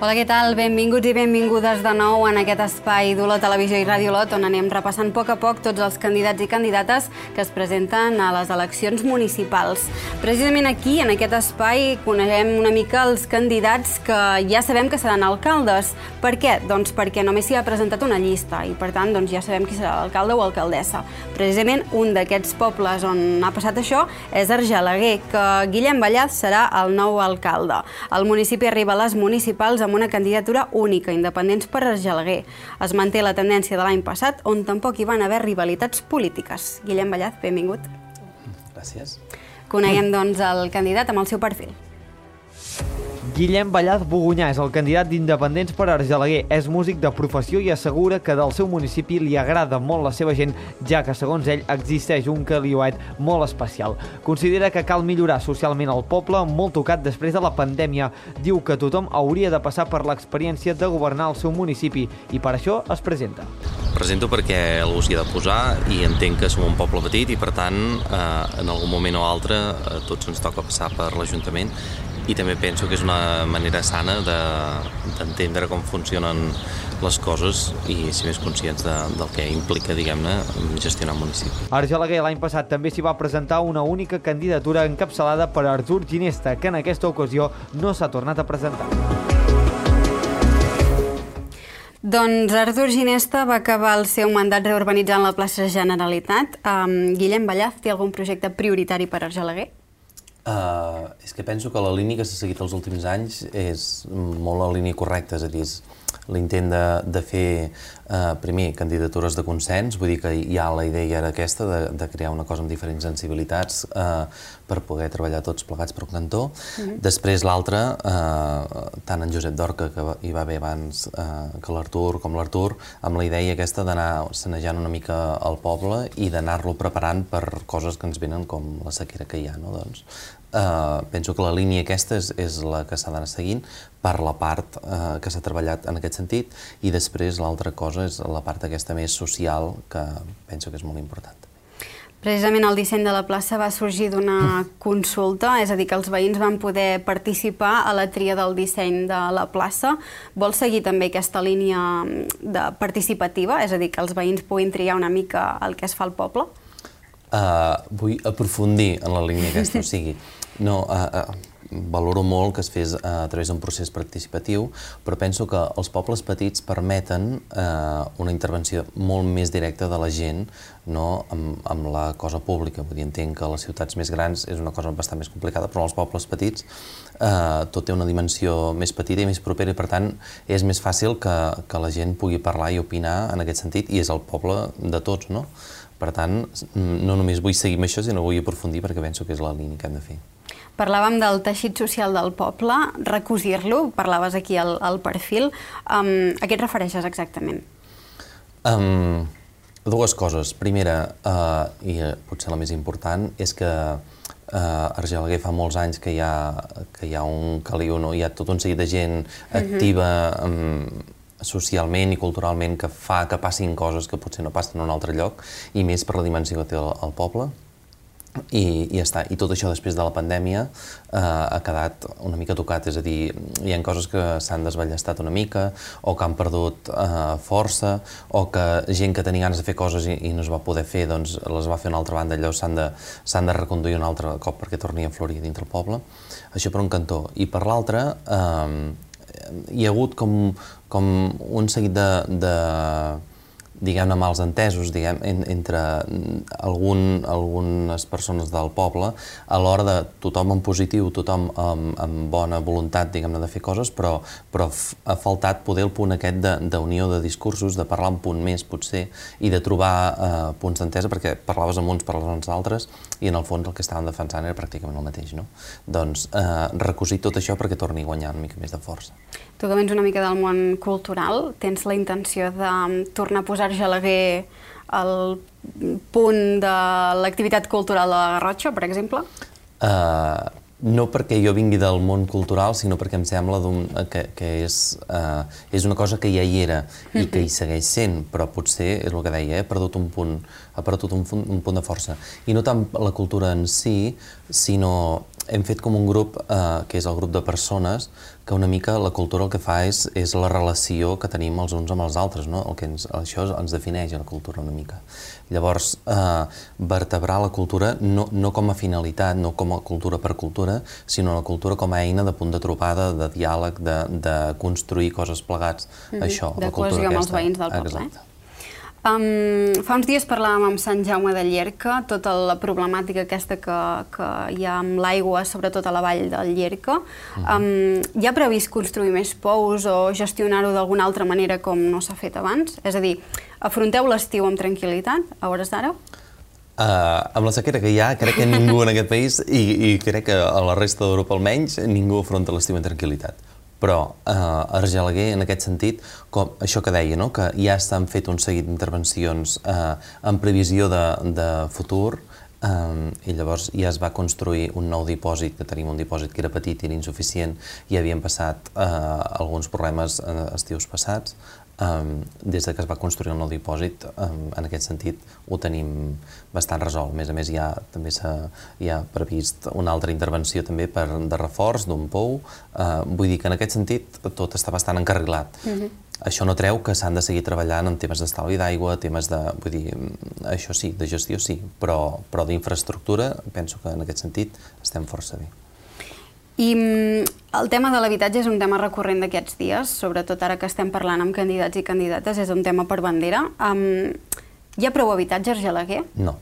Hola, què tal? Benvinguts i benvingudes de nou en aquest espai d'Olot Televisió i Ràdio Olot, on anem repassant a poc tots els candidats i candidates que es presenten a les eleccions municipals. Precisament aquí, en aquest espai, coneixem una mica els candidats que ja sabem que seran alcaldes. Per què? Doncs perquè només s'hi ha presentat una llista i, per tant, ja sabem qui serà l'alcalde o alcaldessa. Precisament un d'aquests pobles on ha passat això és Argelaguer, que Guillem Ballaz serà el nou alcalde. El municipi arriba a les municipals amb una candidatura única, Independents per Argelaguer. Es manté la tendència de l'any passat, on tampoc hi van haver rivalitats polítiques. Guillem Ballaz, benvingut. Gràcies. Coneguem, doncs, el candidat amb el seu perfil. Guillem Ballaz Bogunyà és el candidat d'Independents per Argelaguer. És músic de professió i assegura que del seu municipi li agrada molt la seva gent, ja que, segons ell, existeix un caliuet molt especial. Considera que cal millorar socialment el poble, molt tocat després de la pandèmia. Diu que tothom hauria de passar per l'experiència de governar el seu municipi i per això es presenta. Presento perquè algú s'hi ha de posar i entenc que som un poble petit i, per tant, en algun moment o altre tots ens toca passar per l'Ajuntament. I també penso que és una manera sana d'entendre com funcionen les coses i ser més conscients del que implica, diguem-ne, gestionar un municipi. A Argelaguer l'any passat també s'hi va presentar una única candidatura encapçalada per Artur Ginesta, que en aquesta ocasió no s'ha tornat a presentar. Doncs Artur Ginesta va acabar el seu mandat reurbanitzant la plaça Generalitat. Guillem Ballaz té algun projecte prioritari per Argelaguer? És que penso que la línia que s'ha seguit els últims anys és molt la línia correcta, és a dir, l'intent de fer primer candidatures de consens, vull dir que ja la idea era aquesta de crear una cosa amb diferents sensibilitats per poder treballar tots plegats per un cantó. Després l'altra, tant en Josep Dorca, que hi va haver abans que l'Artur, com l'Artur, amb la idea aquesta d'anar sanejant una mica el poble i d'anar-lo preparant per coses que ens venen com la sequera que hi ha, no? Doncs penso que la línia aquesta és la que s'ha d'anar seguint per la part que s'ha treballat en aquest sentit, i després l'altra cosa és la part aquesta més social, que penso que és molt important. Precisament el disseny de la plaça va sorgir d'una consulta, és a dir, que els veïns van poder participar a la tria del disseny de la plaça. Vol seguir també aquesta línia participativa, és a dir, que els veïns puguin triar una mica el que es fa al poble? Vull aprofundir en la línia aquesta, o sigui, valoro molt que es fes a través d'un procés participatiu, però penso que els pobles petits permeten una intervenció molt més directa de la gent amb la cosa pública. Vull dir, entenc que a les ciutats més grans és una cosa bastant més complicada, però als pobles petits tot té una dimensió més petita i més propera i, per tant, és més fàcil que la gent pugui parlar i opinar en aquest sentit, i és el poble de tots, no? Per tant, no només vull seguir amb això, sinó vull aprofundir perquè penso que és la línia que hem de fer. Parlàvem del teixit social del poble, recosir-lo, parlaves aquí al perfil. A què et refereixes exactament? Dues coses. Primera, i potser la més important, és que Argelaguer fa molts anys que hi ha un caliu, hi ha tot un seguit de gent activa socialment i culturalment que fa que passin coses que potser no passen en un altre lloc, i més per la dimensió que té el poble. I ja està. I tot això després de la pandèmia ha quedat una mica tocat, és a dir, hi ha coses que s'han desballestat una mica, o que han perdut força, o que gent que tenia ganes de fer coses i no es va poder fer, doncs les va fer a una altra banda, allò s'han de reconduir un altre cop perquè torni a florir dintre el poble. Això per un cantó. I per l'altre, hi ha hagut com un seguit de diguem-ne, mals entesos entre algunes persones del poble a l'hora de tothom en positiu, tothom amb bona voluntat, diguem-ne, de fer coses, però ha faltat poder el punt aquest d'unió de discursos, de parlar un punt més, potser, i de trobar punts d'entesa, perquè parlaves amb uns, parlaves amb els altres, i en el fons el que estaven defensant era pràcticament el mateix, no? Doncs recosir tot això perquè torni a guanyar una mica més de força. Tu que vens una mica del món cultural, tens la intenció de tornar a posar Argelaguer al punt de l'activitat cultural de la Garrotxa, per exemple? No perquè jo vingui del món cultural, sinó perquè em sembla que és una cosa que ja hi era i que hi segueix sent, però potser, és el que deia, ha perdut un punt de força. I no tant la cultura en si, sinó hem fet com un grup, que és el grup de persones, que una mica la cultura el que fa és la relació que tenim els uns amb els altres, no? Això ens defineix la cultura una mica. Llavors, vertebrar la cultura no com a finalitat, no com a cultura per cultura, sinó la cultura com a eina de punt de trobada, de diàleg, de construir coses plegats. Això, la cultura aquesta. De cohesió amb els veïns del poble. Exacte. Fa uns dies parlàvem amb Sant Jaume de Llierca, tota la problemàtica aquesta que hi ha amb l'aigua, sobretot a la vall del Llierca. Hi ha previst construir més pous o gestionar-ho d'alguna altra manera com no s'ha fet abans? És a dir, afronteu l'estiu amb tranquil·litat, a hores d'ara? Amb la sequera que hi ha, crec que ningú en aquest país, i crec que a la resta d'Europa almenys, ningú afronta l'estiu amb tranquil·litat. Però a Argelaguer, en aquest sentit, com això que deia, que ja estan fet un seguit d'intervencions en previsió de futur, i llavors ja es va construir un nou dipòsit, que tenim un dipòsit que era petit i era insuficient, i havien passat alguns problemes estius passats. Des que es va construir el nou dipòsit, en aquest sentit, ho tenim bastant resolt. A més, també hi ha previst una altra intervenció també de reforç d'un pou. Vull dir que en aquest sentit tot està bastant encarrilat. Això no treu que s'han de seguir treballant en temes d'estalvi d'aigua, temes de... Vull dir, això sí, de gestió sí, però d'infraestructura penso que en aquest sentit estem força bé. I el tema de l'habitatge és un tema recurrent d'aquests dies, sobretot ara que estem parlant amb candidats i candidates, és un tema per bandera. Hi ha prou habitatge a Argelaguer? No.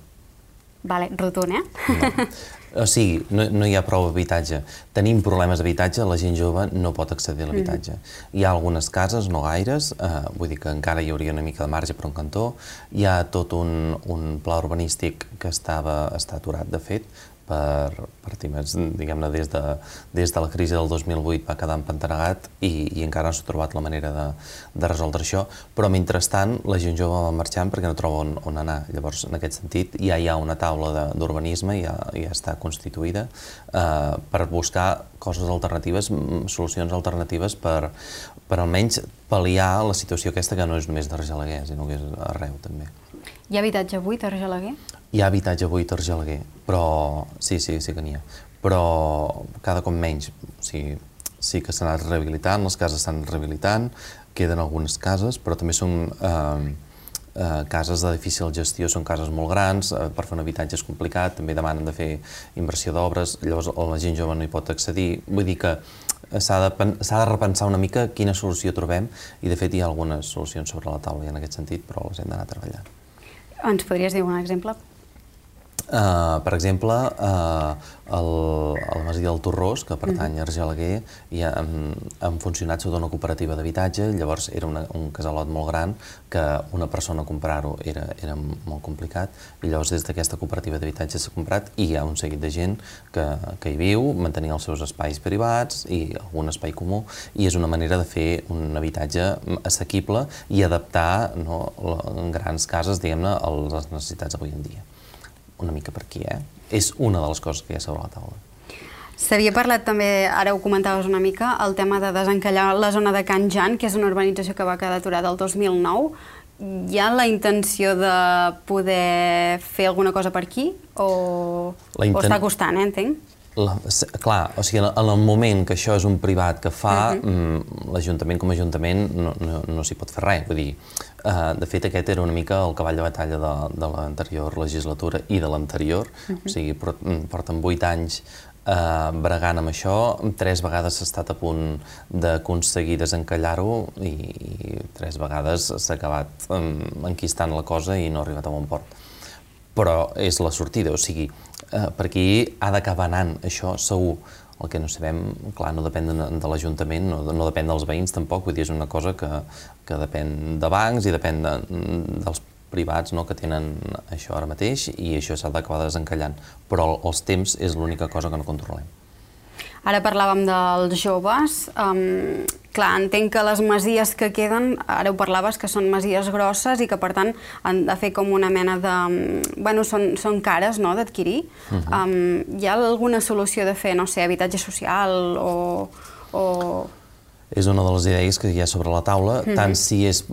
Vale, rotund, No. O sigui, no hi ha prou habitatge. Tenim problemes d'habitatge, la gent jove no pot accedir a l'habitatge. Hi ha algunes cases, no gaires, vull dir que encara hi hauria una mica de marge per un cantó. Hi ha tot un pla urbanístic que està aturat, de fet, per temes, diguem-ne, des de la crisi del 2008 va quedar empantanegat i encara no s'ha trobat la manera de resoldre això, però mentrestant la gent jove va marxant perquè no troba on anar. Llavors, en aquest sentit, ja hi ha una taula d'urbanisme, ja està constituïda, per buscar coses alternatives, solucions alternatives per almenys pal·liar la situació aquesta que no és només d'Argelaguer, sinó que és arreu també. Hi ha habitatge buit a Argelaguer? Hi ha habitatge buit a Argelaguer, però sí que n'hi ha. Però cada cop menys. O sigui, sí que s'ha anat rehabilitant, les cases s'han rehabilitant, queden algunes cases, però també són cases de difícil gestió, són cases molt grans, per fer un habitatge és complicat, també demanen de fer inversió d'obres, llavors la gent jove no hi pot accedir. Vull dir que s'ha de repensar una mica quina solució trobem, i de fet hi ha algunes solucions sobre la taula en aquest sentit, però les hem d'anar treballant. Ens podries dir un exemple? Per exemple, la masia del Torrós, que pertany a Argelaguer, han funcionat sota una cooperativa d'habitatge. Llavors era un casalot molt gran que una persona comprar-ho era molt complicat, i llavors des d'aquesta cooperativa d'habitatge s'ha comprat i hi ha un seguit de gent que hi viu, mantenint els seus espais privats i algun espai comú, i és una manera de fer un habitatge assequible i adaptar en grans cases, diguem-ne, a les necessitats d'avui en dia. Una mica per aquí, És una de les coses que hi ha sobre la taula. S'havia parlat també, ara ho comentaves una mica, el tema de desencallar la zona de Can Jan, que és una urbanització que va quedar aturada el 2009. Hi ha la intenció de poder fer alguna cosa per aquí? O està costant, entenc? Clar, o sigui, en el moment que això és un privat que fa, l'Ajuntament com a Ajuntament no s'hi pot fer res. Vull dir, de fet, aquest era una mica el cavall de batalla de l'anterior legislatura i de l'anterior. O sigui, porten 8 anys bregant amb això, 3 vegades s'ha estat a punt d'aconseguir desencallar-ho i 3 vegades s'ha acabat enquistant la cosa i no ha arribat a bon port. Però és la sortida, o sigui, per aquí ha d'acabar anant això segur. El que no sabem, clar, no depèn de l'Ajuntament, no depèn dels veïns tampoc, vull dir, és una cosa que depèn de bancs i depèn dels privats que tenen això ara mateix, i això s'ha d'acabar desencallant. Però els temps és l'única cosa que no controlem. Ara parlàvem dels joves. Clar, entenc que les masies que queden, ara ho parlaves, que són masies grosses i que, per tant, han de fer com una mena de... Bueno, són cares, no?, d'adquirir. Hi ha alguna solució de fer, no sé, habitatge social o... És una de les idees que hi ha sobre la taula, tant si és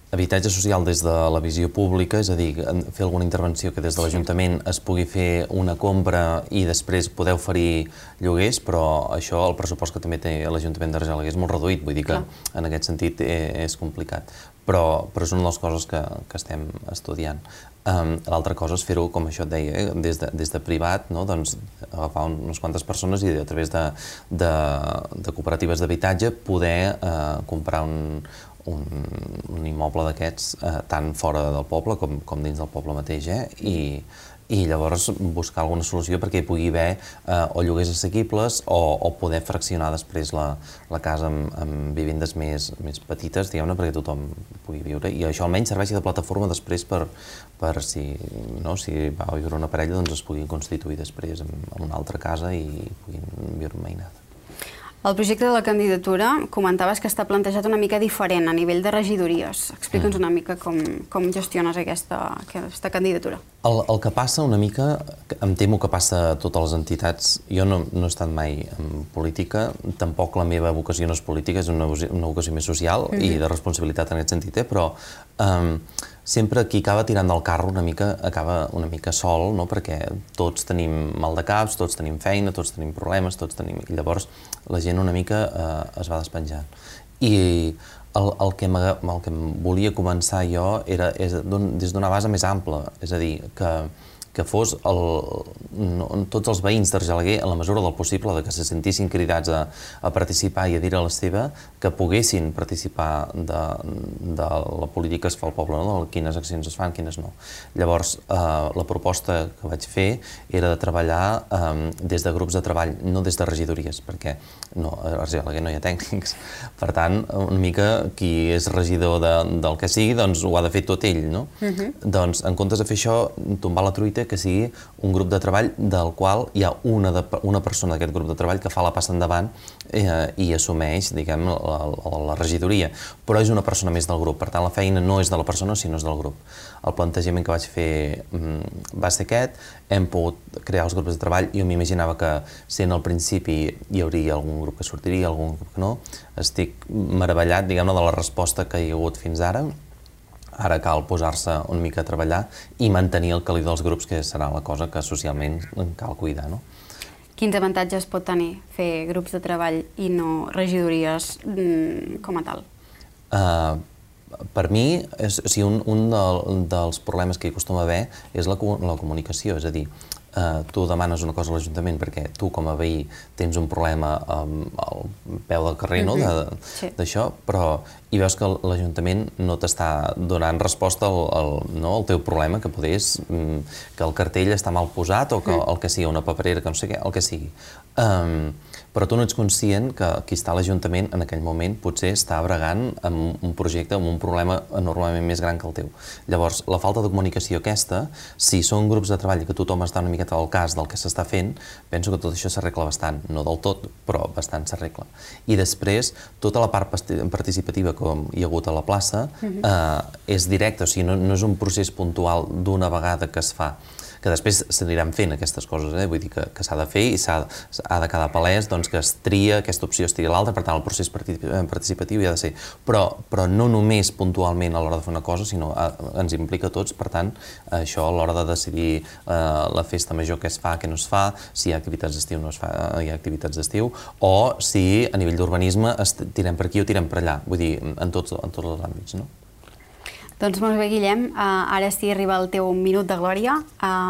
Habitatge social des de la visió pública, és a dir, fer alguna intervenció que des de l'Ajuntament es pugui fer una compra i després poder oferir lloguers, però això, el pressupost que també té l'Ajuntament d'Argelaguer és molt reduït, vull dir que en aquest sentit és complicat. Però és una de les coses que estem estudiant. L'altra cosa és fer-ho, com això et deia, des de privat, agafar unes quantes persones i a través de cooperatives d'habitatge poder comprar un immoble d'aquests tant fora del poble com dins del poble mateix, i llavors buscar alguna solució perquè hi pugui haver o lloguers assequibles o poder fraccionar després la casa amb vivendes més petites, diguem-ne, perquè tothom pugui viure. I això almenys serveixi de plataforma després per si va a viure una parella, doncs es pugui constituir després en una altra casa i puguin viure en veïnat. El projecte de la candidatura comentaves que està plantejat una mica diferent a nivell de regidories. Explica'ns una mica com gestiones aquesta candidatura. El que passa una mica, em temo que passa a totes les entitats, jo no he estat mai en política, tampoc la meva vocació no és política, és una vocació més social i de responsabilitat en aquest sentit, però sempre qui acaba tirant del carro una mica acaba una mica sol, perquè tots tenim mal de caps, tots tenim feina, tots tenim problemes, i llavors la gent una mica es va despenjant. I el que volia començar jo era des d'una base més ampla, és a dir, que fos tots els veïns d'Argelaguer, en la mesura del possible, que se sentissin cridats a participar i a dir a la seva, que poguessin participar de la política que es fa al poble, de quines accions es fan, quines no. Llavors, la proposta que vaig fer era de treballar des de grups de treball, no des de regidories, perquè a Argelaguer no hi ha tècnics. Per tant, una mica qui és regidor del que sigui, doncs ho ha de fer tot ell, no? Doncs, en comptes de fer això, tombar la truita, que sigui un grup de treball del qual hi ha una persona d'aquest grup de treball que fa la passa endavant i assumeix, diguem, la regidoria, però és una persona més del grup, per tant la feina no és de la persona sinó és del grup. El plantejament que vaig fer va ser aquest, hem pogut crear els grups de treball, jo m'imaginava que sent al principi hi hauria algun grup que sortiria, algun grup que no, estic meravellat, diguem-ne, de la resposta que hi ha hagut fins ara. Ara cal posar-se una mica a treballar i mantenir el caliu dels grups, que serà la cosa que socialment cal cuidar. Quins avantatges pot tenir fer grups de treball i no regidories com a tal? Per mi, un dels problemes que hi acostuma a haver és la comunicació, és a dir, tu demanes una cosa a l'Ajuntament perquè tu com a veí tens un problema al peu del carrer d'això, però i veus que l'Ajuntament no t'està donant resposta al teu problema, que potser és que el cartell està mal posat o que el que sigui una paperera, que no sé què, el que sigui. Però tu no ets conscient que qui està a l'Ajuntament en aquell moment potser està bregant amb un projecte, amb un problema enormement més gran que el teu. Llavors, la falta de comunicació aquesta, si són grups de treball que tothom està una miqueta al cas del que s'està fent, penso que tot això s'arregla bastant, no del tot, però bastant s'arregla. I després, tota la part participativa que hi ha hagut a la plaça és directa, o sigui, no és un procés puntual d'una vegada que es fa, que després s'aniran fent aquestes coses, vull dir que s'ha de fer i ha de quedar palès que es tria aquesta opció, es tria l'altra, per tant el procés participatiu hi ha de ser, però no només puntualment a l'hora de fer una cosa, sinó ens implica a tots, per tant això a l'hora de decidir la festa major que es fa, que no es fa, si hi ha activitats d'estiu o no hi ha activitats d'estiu, o si a nivell d'urbanisme tirem per aquí o tirem per allà, vull dir, en tots els àmbits, no? Doncs molt bé, Guillem, ara sí arriba el teu minut de glòria.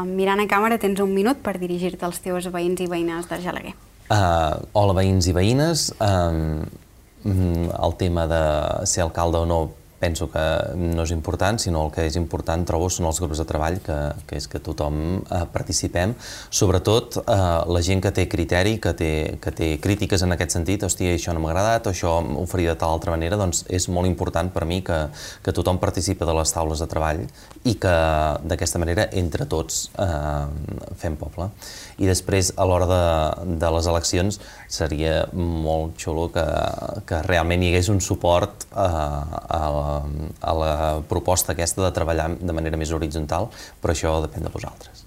Mirant a càmera tens un minut per dirigir-te als teus veïns i veïnes d'Argelaguer. Hola, veïns i veïnes. El tema de ser alcalde o no penso que no és important, sinó el que és important, trobo, són els grups de treball, que és que tothom participem. Sobretot la gent que té criteri, que té crítiques en aquest sentit, hòstia, això no m'ha agradat, o això ho faria de tal altra manera, doncs és molt important per mi que tothom participi de les taules de treball i que d'aquesta manera, entre tots, fem poble. I després, a l'hora de les eleccions, seria molt xulo que realment hi hagués un suport a la proposta aquesta de treballar de manera més horitzontal, però això depèn de vosaltres.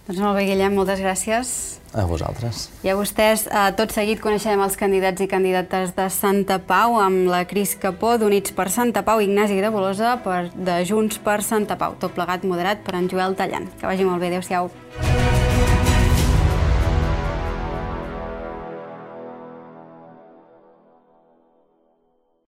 Doncs molt bé, Guillem, moltes gràcies. A vosaltres. I a vostès, tot seguit coneixerem els candidats i candidates de Santa Pau amb la Cris Capó, d'Units per Santa Pau, Ignasi de Bolosa, de Junts per Santa Pau. Tot plegat moderat per en Joel Tallant. Que vagi molt bé, adéu-siau.